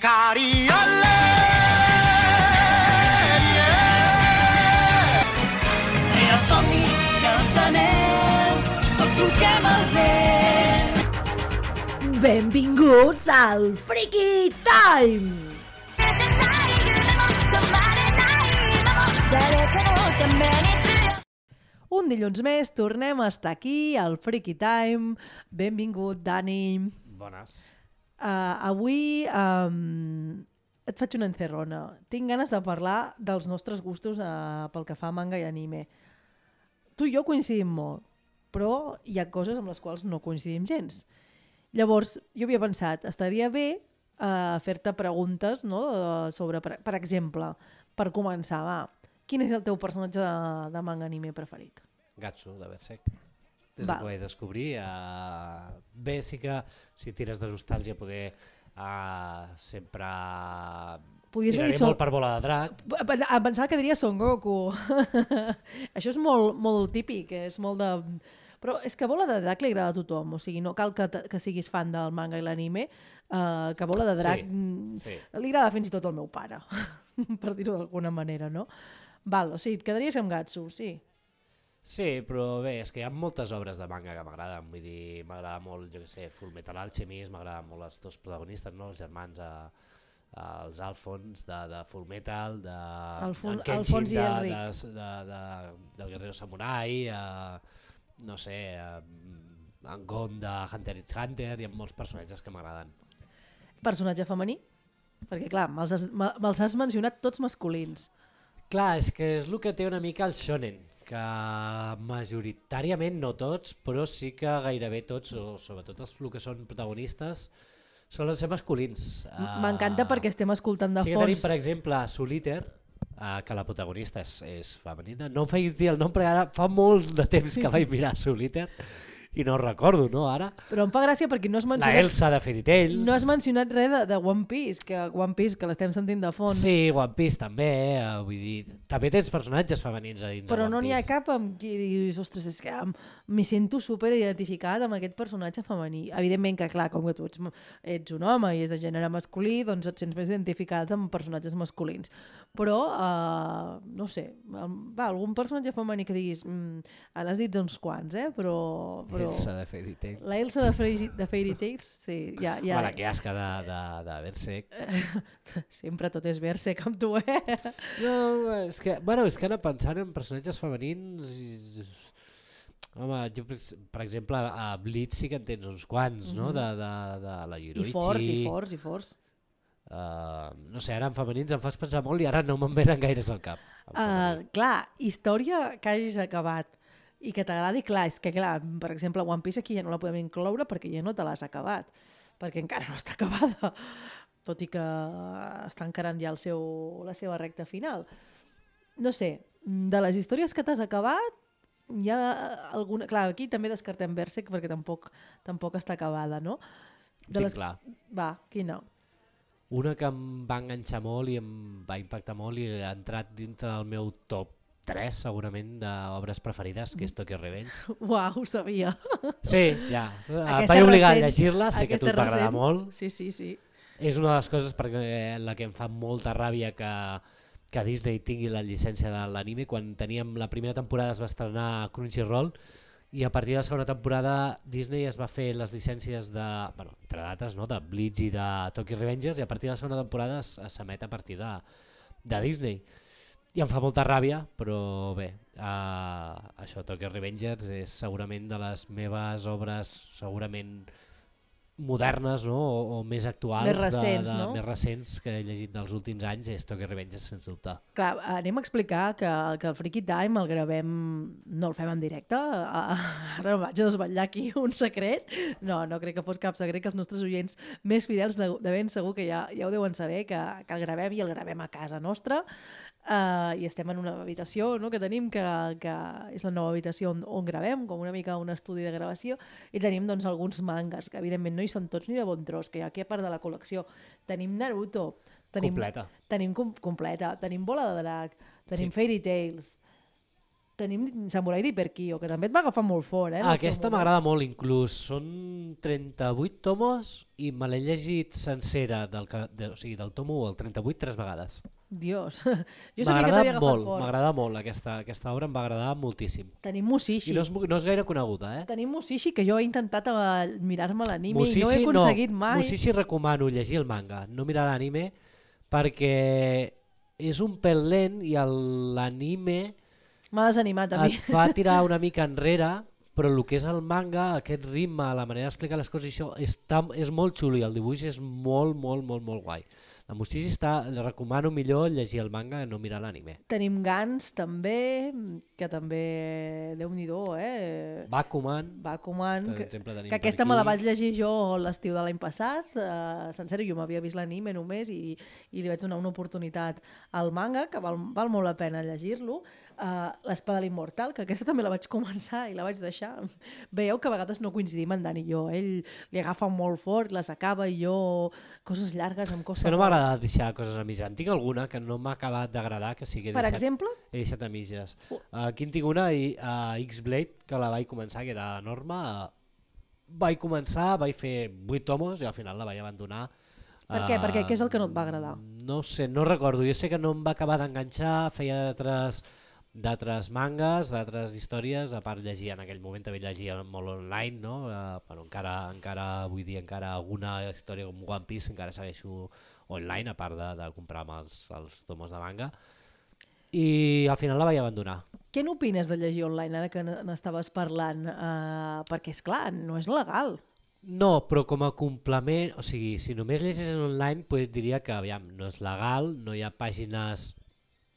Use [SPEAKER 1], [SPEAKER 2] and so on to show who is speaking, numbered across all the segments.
[SPEAKER 1] Els somnis i els anells, tots solquem el vent.
[SPEAKER 2] Benvinguts al Freaky Time! Un dilluns més tornem a estar aquí al Freaky Time. Benvingut, Dani.
[SPEAKER 3] Bones.
[SPEAKER 2] Avui et faig una encerrona. Tinc ganes de parlar dels nostres gustos pel que fa a manga i anime. Tu i jo coincidim molt, però hi ha coses amb les quals no coincidim gens. Llavors, jo havia pensat, estaria bé fer-te preguntes, no? Sobre, per exemple, per començar, va, quin és el teu personatge de manga anime preferit?
[SPEAKER 3] Gatsu, de Berserk. Des que ho vaig descobrir. Bé, sí que si tires de nostàlgia poder sempre tiraré molt per Bola de Drac.
[SPEAKER 2] Em pensava que diria Son Goku. Això és molt, molt típic, és molt de... Però és que Bola de Drac li agrada a tothom, o sigui, no cal que siguis fan del manga i l'anime, que Bola de Drac li agrada fins i tot al meu pare, per dir-ho d'alguna manera, no? Val, o sigui, et quedaries amb Gatsu, sí.
[SPEAKER 3] Sí, però bé, és que hi ha moltes obres de manga que m'agraden, vull dir, m'agrada molt, jo què sé, Fullmetal Alchemist, m'agraden molt els dos protagonistes, no? Els germans, els Alphonse de Fullmetal, en Kenshin del Guerrero Samurai, no sé, en Gon de Hunter x Hunter, hi ha molts personatges que m'agraden.
[SPEAKER 2] Personatge femení? Perquè clar, me'ls has mencionat tots masculins.
[SPEAKER 3] Clar, és que és el que té una mica el shonen, que majoritàriament no tots, però sí que gairebé tots, o sobretot els que són protagonistes, solen ser masculins.
[SPEAKER 2] M'encanta perquè estem escoltant de fons.
[SPEAKER 3] Sí que tenim, per exemple, Solitaire, que la protagonista és femenina. No em faig dir el nom, perquè ara fa molt de temps que vaig mirar Solitaire i no ho recordo, no, ara?
[SPEAKER 2] Però em fa gràcia perquè no has mencionat...
[SPEAKER 3] La Elsa de Fairy Tail.
[SPEAKER 2] No has mencionat res de One Piece, que l'estem sentint de fons.
[SPEAKER 3] Sí, One Piece també, vull dir... També tens personatges femenins a dins de One Piece.
[SPEAKER 2] Però no n'hi ha cap amb qui diguis, ostres, és que m'hi sento super identificat amb aquest personatge femení. Evidentment que, clar, com que tu ets un home i és de gènere masculí, doncs et sents més identificat amb personatges masculins. Però, no sé, algun personatge femení que diguis... N'has dit uns quants, però...
[SPEAKER 3] Elsa de Fairy Tail.
[SPEAKER 2] La Elsa de Fairy Tails, sí.
[SPEAKER 3] La que asca de Berserk.
[SPEAKER 2] Sempre tot és Berserk amb tu,
[SPEAKER 3] No, és que ara pensant en personatges femenins... Home, jo, per exemple, a Bleach sí que en tens uns quants, no? De la Yoruichi.
[SPEAKER 2] I forts.
[SPEAKER 3] No sé, ara en femenins em fas pensar molt i ara no me'n venen gaires al cap.
[SPEAKER 2] Clar, història que hagis acabat i que t'agradi, clar, és que clar, per exemple, One Piece aquí ja no la podem incloure perquè ja no te l'has acabat, perquè encara no està acabada, tot i que està encarant ja la seva recta final. No sé, de les històries que t'has acabat, hi ha alguna... Clar, aquí també descartem Berserk perquè tampoc està acabada, no?
[SPEAKER 3] Clar.
[SPEAKER 2] Va, quina?
[SPEAKER 3] Una que em va enganxar molt i em va impactar molt i ha entrat dintre del meu top 3 segurament d'obres preferides, que és Tokyo Revenge.
[SPEAKER 2] Uau, ho sabia.
[SPEAKER 3] Sí, ja. Et vaig obligar a llegir-la, sé que a tu et va agradar molt.
[SPEAKER 2] Sí.
[SPEAKER 3] És una de les coses perquè la que em fa molta ràbia que Disney tingui la llicència de l'anime. Quan teníem la primera temporada es va estrenar a Crunchyroll i a partir de la segona temporada Disney es va fer les llicències de, entre d'altres, no? De Bleach i de Tokyo Revengers, i a partir de la segona temporada s'emet a partir de Disney. I em fa molta ràbia, però bé, això, Tokyo Revengers és segurament de les meves obres segurament modernes, no? o més actuals,
[SPEAKER 2] més recents,
[SPEAKER 3] no? Més recents que he llegit dels últims anys, és Tokyo Revengers, sens dubte.
[SPEAKER 2] Clar, anem a explicar que el Freaky Time el gravem, no el fem en directe, ara vaig a desvetllar aquí un secret, no crec que fos cap secret, que els nostres oients més fidels de ben segur que ja ho deuen saber, que el gravem i el gravem a casa nostra, i estem en una habitació, no?, que tenim, que és la nova habitació on gravem, com una mica un estudi de gravació, i tenim doncs alguns mangas, que evidentment no hi són tots ni de bon tros, que hi ha aquí a part de la col·lecció. Tenim Naruto, tenim
[SPEAKER 3] completa,
[SPEAKER 2] tenim Bola de Drac, tenim Fairy Tails, Tenim Samurai d'Hiperkyo, que també et va agafar molt fort, eh?
[SPEAKER 3] Aquesta m'agrada molt, inclús. Són 38 tomos i me l'he llegit sencera, o sigui, del tomo 1 al 38 3 vegades.
[SPEAKER 2] Dios, jo sabia que t'havia agafat fort.
[SPEAKER 3] M'agrada molt, aquesta obra em va agradar moltíssim.
[SPEAKER 2] Tenim Mushishi.
[SPEAKER 3] I no és gaire coneguda, eh?
[SPEAKER 2] Tenim Mushishi, que jo he intentat mirar-me l'anime i no he aconseguit mai.
[SPEAKER 3] Mushishi recomano llegir el manga, no mirar l'anime, perquè és un pèl lent i l'anime
[SPEAKER 2] m'ha desanimat a mi.
[SPEAKER 3] et fa tirar una mica enrere, però el que és el manga, aquest ritme, la manera d'explicar les coses, això és molt xulo i el dibuix és molt, molt, molt, molt guai. La Mushishi recomano millor llegir el manga que no mirar l'anime.
[SPEAKER 2] Tenim Gans també, que també, Déu-n'hi-do,
[SPEAKER 3] Bakuman,
[SPEAKER 2] que aquesta me la vaig llegir jo l'estiu de l'any passat, sencera, jo m'havia vist l'anime només i li vaig donar una oportunitat al manga, que val molt la pena llegir-lo. L'Espada de l'Immortal, que aquesta també la vaig començar i la vaig deixar. Veieu que a vegades no coincidim en Dan i jo. Ell li agafa molt fort, les acaba i jo coses llargues em costa.
[SPEAKER 3] Que no m'agrada deixar coses a mitges. En tinc alguna que no m'ha acabat d'agradar, que sí que
[SPEAKER 2] per exemple?
[SPEAKER 3] He deixat a mitges. Aquí en tinc una, X-Blade, que la vaig començar, que era la norma. Vaig començar, vaig fer 8 tomos i al final la vaig abandonar.
[SPEAKER 2] Per què? Perquè què és el que no et va agradar?
[SPEAKER 3] No sé, no recordo. Jo sé que no em va acabar d'enganxar, feia d'altres mangas, d'altres històries, a part llegir en aquell moment també llegia molt online, no? Però encara avui dia alguna història com One Piece encara segueixo online, a part de comprar els tomos de manga, i al final la vaig abandonar.
[SPEAKER 2] Què n'opines de llegir online ara que n'estaves parlant? Perquè és clar, no és legal.
[SPEAKER 3] No, però com a complement, o sigui, si només llegis online, diria que aviam, no és legal, no hi ha pàgines.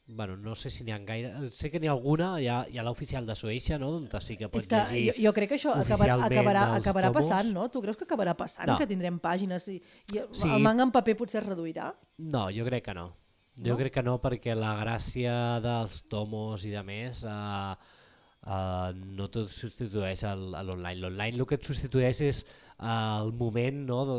[SPEAKER 3] Bueno, no sé si n'hi ha gaire, sé que n'hi ha alguna, hi ha l'oficial de Suècia, no? On sí que pots llegir.
[SPEAKER 2] Jo crec que això acabarà passant, no? Tu creus que acabarà passant, que tindrem pàgines i el manga en paper potser es reduirà?
[SPEAKER 3] No, jo crec que no. Jo crec que no, perquè la gràcia dels tomos i de més no tot substitueix l'online. L'online el que et substitueix és el moment, no, de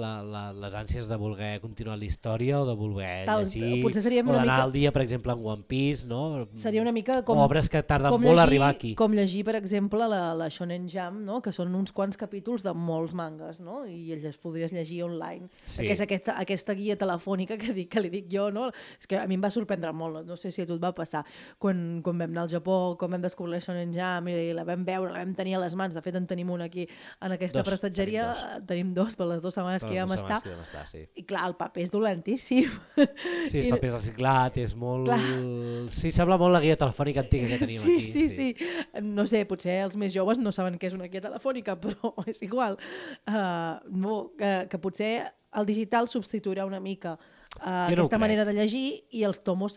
[SPEAKER 3] les ànsies de voler continuar la història o de voler llegir, o d'anar al dia, per exemple, en One Piece, no?
[SPEAKER 2] Seria una mica com
[SPEAKER 3] obres que tarden molt a arribar aquí.
[SPEAKER 2] Com llegir, per exemple, la Shonen Jump, no? Que són uns quants capítols de molts mangas, no? I els podries llegir online.
[SPEAKER 3] Sí.
[SPEAKER 2] Perquè és aquesta guia telefònica que li dic jo, no? És que a mi em va sorprendre molt, no sé si a tu et va passar. Quan vam anar al Japó, quan vam descobrir la Shonen Jump i la vam veure, la vam tenir a les mans, de fet en tenim una aquí en aquesta prestatgeria, tenim dos per les 2 setmanes que hi vam estar,
[SPEAKER 3] sí.
[SPEAKER 2] I clar, el paper és dolentíssim.
[SPEAKER 3] Sí, és paper reciclat, és molt... Clar. Sí, sembla molt la guia telefònica antiga que teníem aquí.
[SPEAKER 2] Sí. No sé, potser els més joves no saben què és una guia telefònica, però és igual. Que potser el digital substituirà una mica aquesta manera de llegir i els tomos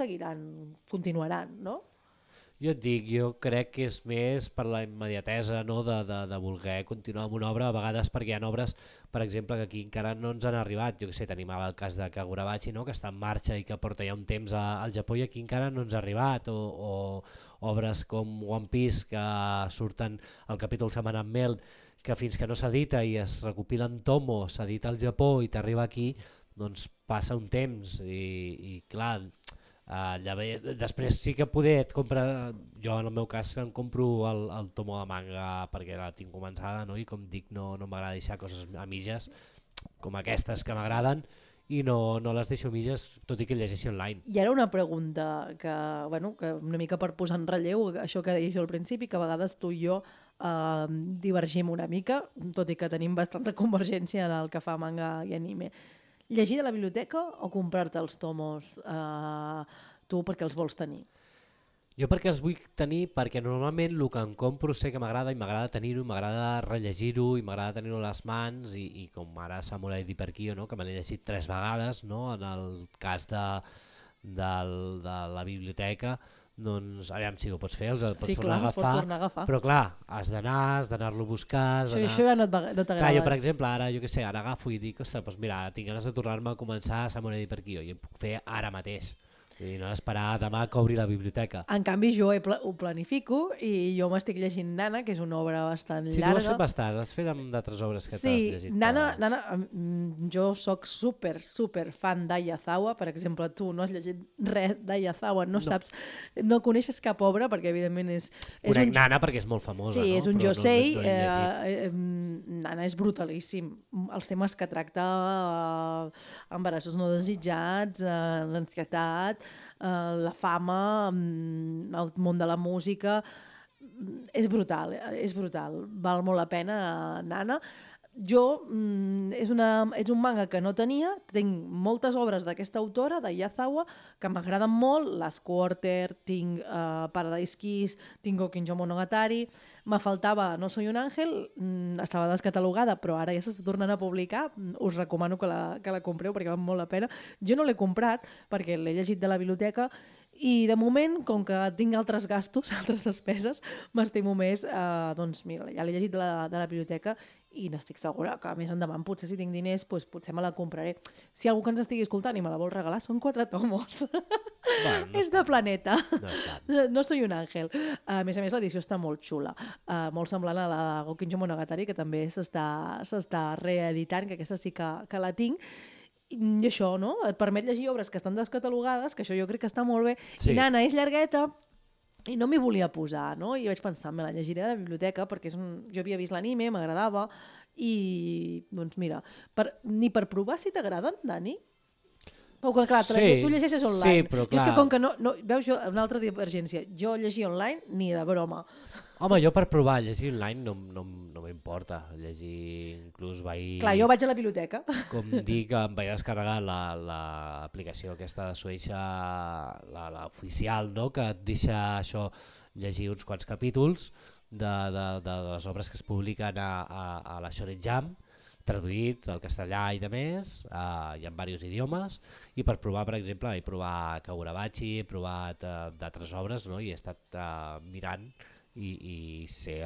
[SPEAKER 2] continuaran, no?
[SPEAKER 3] Jo et dic, jo crec que és més per la immediatesa, no? de voler continuar amb una obra, a vegades perquè hi ha obres, per exemple, que aquí encara no ens han arribat. Jo que sé, tenim el cas de Kagurabachi, no? Que està en marxa i que porta ja un temps al Japó i aquí encara no ens ha arribat, o obres com One Piece que surten al capítol setmanal Mel, que fins que no s'edita i es recopilen tomos, s'edita al Japó i t'arriba aquí, doncs passa un temps i clar... després sí que et compra, jo en el meu cas em compro el tomo de manga perquè la tinc començada, no? I com dic no m'agrada deixar coses a mitges com aquestes que m'agraden i no les deixo a mitges, tot i que llegeixi online.
[SPEAKER 2] I ara una pregunta que una mica per posar en relleu això que deia jo al principi, que a vegades tu i jo divergim una mica, tot i que tenim bastanta convergència en el que fa manga i anime. Llegir de la biblioteca o comprar-te els tomos tu perquè els vols tenir?
[SPEAKER 3] Jo perquè els vull tenir perquè normalment el que em compro sé que m'agrada i m'agrada tenir-ho, m'agrada rellegir-ho i m'agrada tenir-ho a les mans i com ara Samurai d'Hiperkyo, no? Que me l'he llegit 3 vegades, no? En el cas de la biblioteca, doncs aviam si ho pots fer, els pots tornar a agafar, però clar, has d'anar-lo a buscar...
[SPEAKER 2] Això ja no t'agrada.
[SPEAKER 3] Clar, jo per exemple, ara agafo i dic, ostres, doncs mira, tinc ganes de tornar-me a començar a Samurai d'Hiperkyo i ho puc fer ara mateix. I no esperar demà que obri la biblioteca.
[SPEAKER 2] En canvi, jo ho planifico i jo m'estic llegint Nana, que és una obra bastant
[SPEAKER 3] Sí, tu
[SPEAKER 2] llarga.
[SPEAKER 3] has fet bastant, has fet amb d'altres obres que t'has llegit.
[SPEAKER 2] Nana, jo sóc super fan d'Ayazawa, per exemple, tu no has llegit res d'Ayazawa, no saps, no coneixes cap obra, perquè evidentment és
[SPEAKER 3] Conec Nana perquè és molt famosa,
[SPEAKER 2] sí,
[SPEAKER 3] no?
[SPEAKER 2] és un
[SPEAKER 3] Però
[SPEAKER 2] josei,
[SPEAKER 3] no he llegit.
[SPEAKER 2] Nana és brutalíssim. Els temes que tracta, embarassos no desitjats, l'ansietat, la fama, el món de la música, és brutal, val molt la pena, Nana. Jo, és un manga que no tenia, tinc moltes obres d'aquesta autora, d'Ayazawa, que m'agraden molt, Last Quarter, tinc Paradise Kiss, tinc Gokinjo Monogatari, me faltava No soy un ángel, estava descatalogada, però ara ja s'està tornant a publicar, us recomano que la compreu perquè val molt la pena. Jo no l'he comprat perquè l'he llegit de la biblioteca i de moment, com que tinc altres gastos, altres despeses, m'estimo més, doncs mira, ja l'he llegit de la biblioteca i n'estic segura que més endavant, potser si tinc diners, doncs potser me la compraré. Si algú que ens estigui escoltant i me la vol regalar, són 4 tomos.
[SPEAKER 3] Bueno,
[SPEAKER 2] és de Planeta.
[SPEAKER 3] No
[SPEAKER 2] No soy un ángel. A més, l'edició està molt xula. Molt semblant a la Gokinjo Monogatari, que també s'està reeditant, que aquesta sí que la tinc. I això, no? Et permet llegir obres que estan descatalogades, que això jo crec que està molt bé.
[SPEAKER 3] Sí.
[SPEAKER 2] I Nana és llargueta, i no m'hi volia posar, no? I vaig pensar, me la llegiré a la biblioteca, perquè jo havia vist l'anime, m'agradava, i, doncs mira, ni per provar si t'agraden, Dani? O que, clar, tu llegeixes online.
[SPEAKER 3] Sí, però clar.
[SPEAKER 2] I és que com que no... Veus, una altra divergència. Jo llegir online, ni de broma.
[SPEAKER 3] Home, jo per provar llegir online no m'importa. Llegir inclús vaig...
[SPEAKER 2] Clar, jo vaig a la biblioteca.
[SPEAKER 3] Com dic, em vaig descarregar l'aplicació aquesta de Suïssa, l'oficial, no? Que et deixa això llegir uns quants capítols de les obres que es publiquen a la Shonen Jump, traduït al castellà i de més, hi ha diversos idiomes, i per provar, per exemple, he provat Kagurabachi, he provat d'altres obres, no? I he estat mirant i sé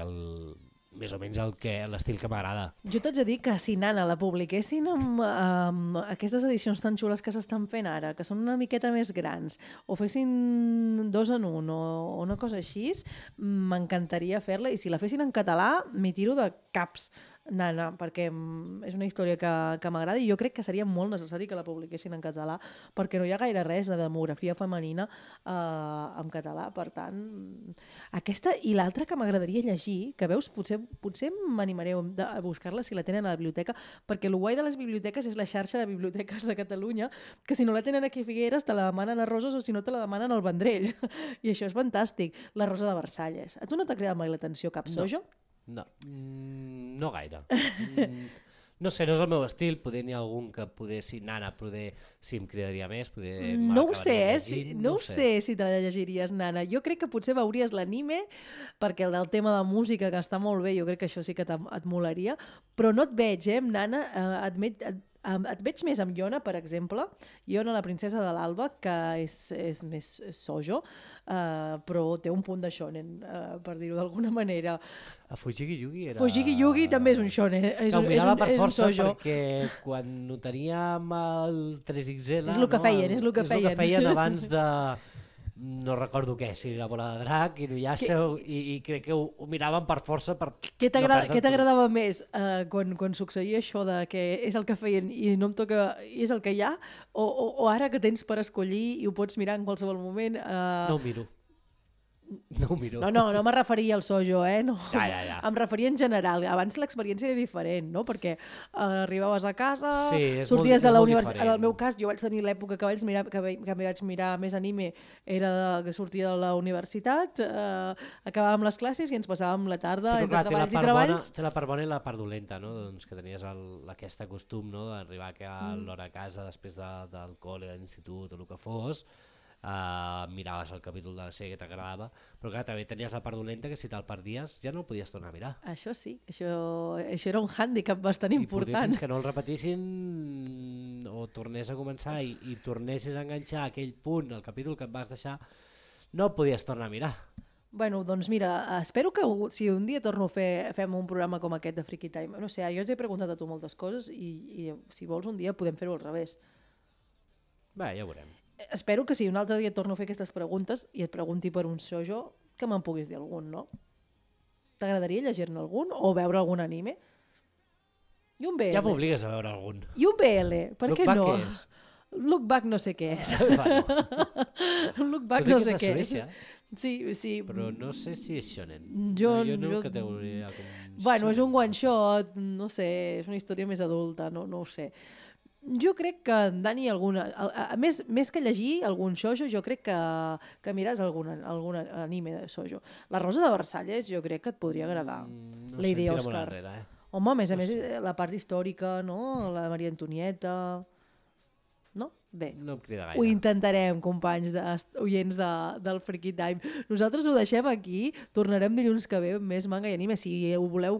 [SPEAKER 3] més o menys l'estil que m'agrada.
[SPEAKER 2] Jo t'haig de dir que si Nana la publiquessin amb aquestes edicions tan xules que s'estan fent ara, que són una miqueta més grans, o fessin 2 en 1 o una cosa així, m'encantaria fer-la, i si la fessin en català m'hi tiro de caps, Nana, perquè és una història que m'agrada i jo crec que seria molt necessari que la publiquessin en català, perquè no hi ha gaire res de demografia femenina en català. Per tant, aquesta i l'altra que m'agradaria llegir, que veus, potser m'animaré a buscar-la si la tenen a la biblioteca, perquè el guai de les biblioteques és la xarxa de biblioteques de Catalunya, que si no la tenen aquí a Figueres te la demanen a Roses o si no te la demanen al Vendrell. I això és fantàstic. La Rosa de Versalles. A tu no t'ha cridat mai l'atenció cap sojo?
[SPEAKER 3] No, no gaire. No sé, no és el meu estil, poder n'hi ha algun que si Nana sí em cridaria més,
[SPEAKER 2] no ho sé, no ho sé si te la llegiries, Nana. Jo crec que potser veuries l'anime, perquè el del tema de música, que està molt bé, jo crec que això sí que et molaria, però no et veig, amb Nana, et veig més amb Yona, per exemple, Yona, la princesa de l'Alba, que és més sojo, però té un punt de shonen, per dir-ho d'alguna manera.
[SPEAKER 3] A Fujiki Yugi era...
[SPEAKER 2] Fujiki Yugi també és un shonen, és un sojo.
[SPEAKER 3] Perquè quan ho teníem al 3XL...
[SPEAKER 2] És el que feien, és el que feien.
[SPEAKER 3] És el que feien abans de... No recordo què, si la bola de drac, Inuyasha, i crec que ho miraven per força per...
[SPEAKER 2] Què t'agradava més quan succeïa això de que és el que feien i no em toca, i és el que hi ha, o ara que tens per escollir i ho pots mirar en qualsevol moment?
[SPEAKER 3] No ho miro. No ho miro.
[SPEAKER 2] No me referia al sojo, no.
[SPEAKER 3] Ja.
[SPEAKER 2] Em referia en general. Abans l'experiència era diferent, no? Perquè arribaves a casa, sorties de la universitat. En el meu cas, jo vaig tenir l'època que vaig mirar més anime, era que sortia de la universitat, acabàvem les classes i ens passàvem la tarda entre treballs i treballs.
[SPEAKER 3] Té la part bona i la part dolenta, no? Doncs que tenies aquest costum, no? D'arribar a l'hora a casa després del col·le, de l'institut o el que fos, miraves el capítol de la sèrie que t'agradava, però clar, també tenies la part dolenta que si te'l perdies ja no el podies tornar a mirar.
[SPEAKER 2] Això sí, això era un hàndicap bastant important.
[SPEAKER 3] I fins que no el repetissin o tornés a començar i tornessis a enganxar aquell punt, el capítol que et vas deixar, no el podies tornar a mirar.
[SPEAKER 2] Bueno, doncs mira, espero que si un dia torno a fem un programa com aquest de Freaky Time, no sé, jo t'he preguntat a tu moltes coses i si vols un dia podem fer-ho al revés.
[SPEAKER 3] Bé, ja ho veurem.
[SPEAKER 2] espero que si un altre dia torno a fer aquestes preguntes i et pregunti per un shoujo, que me'n puguis dir algun, no? T'agradaria llegir-ne algun o veure algun anime? I un BL.
[SPEAKER 3] Ja m'obligues a veure algun.
[SPEAKER 2] I un BL, per què no?
[SPEAKER 3] Què és?
[SPEAKER 2] Look Back no sé què és. Look Back no sé què és. Sí.
[SPEAKER 3] Però no sé si és shonen.
[SPEAKER 2] Jo
[SPEAKER 3] no categoria com...
[SPEAKER 2] Bueno, és un one shot, no sé, és una història més adulta, no ho sé. Jo crec que en Dani més que llegir algun shoujo, jo crec que miràs algun anime de shoujo. La Rosa de Versalles jo crec que et podria agradar. Lady Oscar. Home, a més, la part històrica, no? La Maria Antonieta... No? Bé,
[SPEAKER 3] no em crida gaire.
[SPEAKER 2] Ho intentarem, companys oients del Freaky Time. Nosaltres ho deixem aquí, tornarem dilluns que ve amb més manga i anime. Si voleu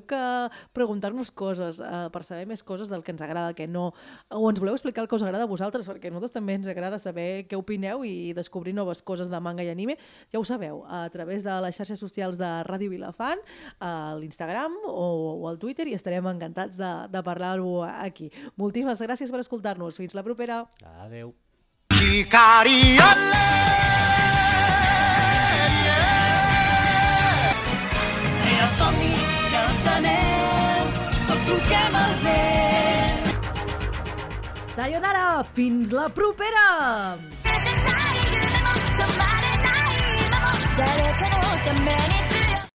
[SPEAKER 2] preguntar-nos coses, per saber més coses del que ens agrada, que no, o ens voleu explicar el que us agrada a vosaltres, perquè a nosaltres també ens agrada saber què opineu i descobrir noves coses de manga i anime, ja ho sabeu, a través de les xarxes socials de Ràdio Vilafant, a l'Instagram o al Twitter, i estarem encantats de parlar-ho aquí. Moltíssimes gràcies per escoltar-nos. Fins la propera.
[SPEAKER 3] Adéu.
[SPEAKER 1] 光あれEra somnis i els anells tots toquem el vent.
[SPEAKER 2] Sayonara! Fins la propera!
[SPEAKER 4] 誰かのために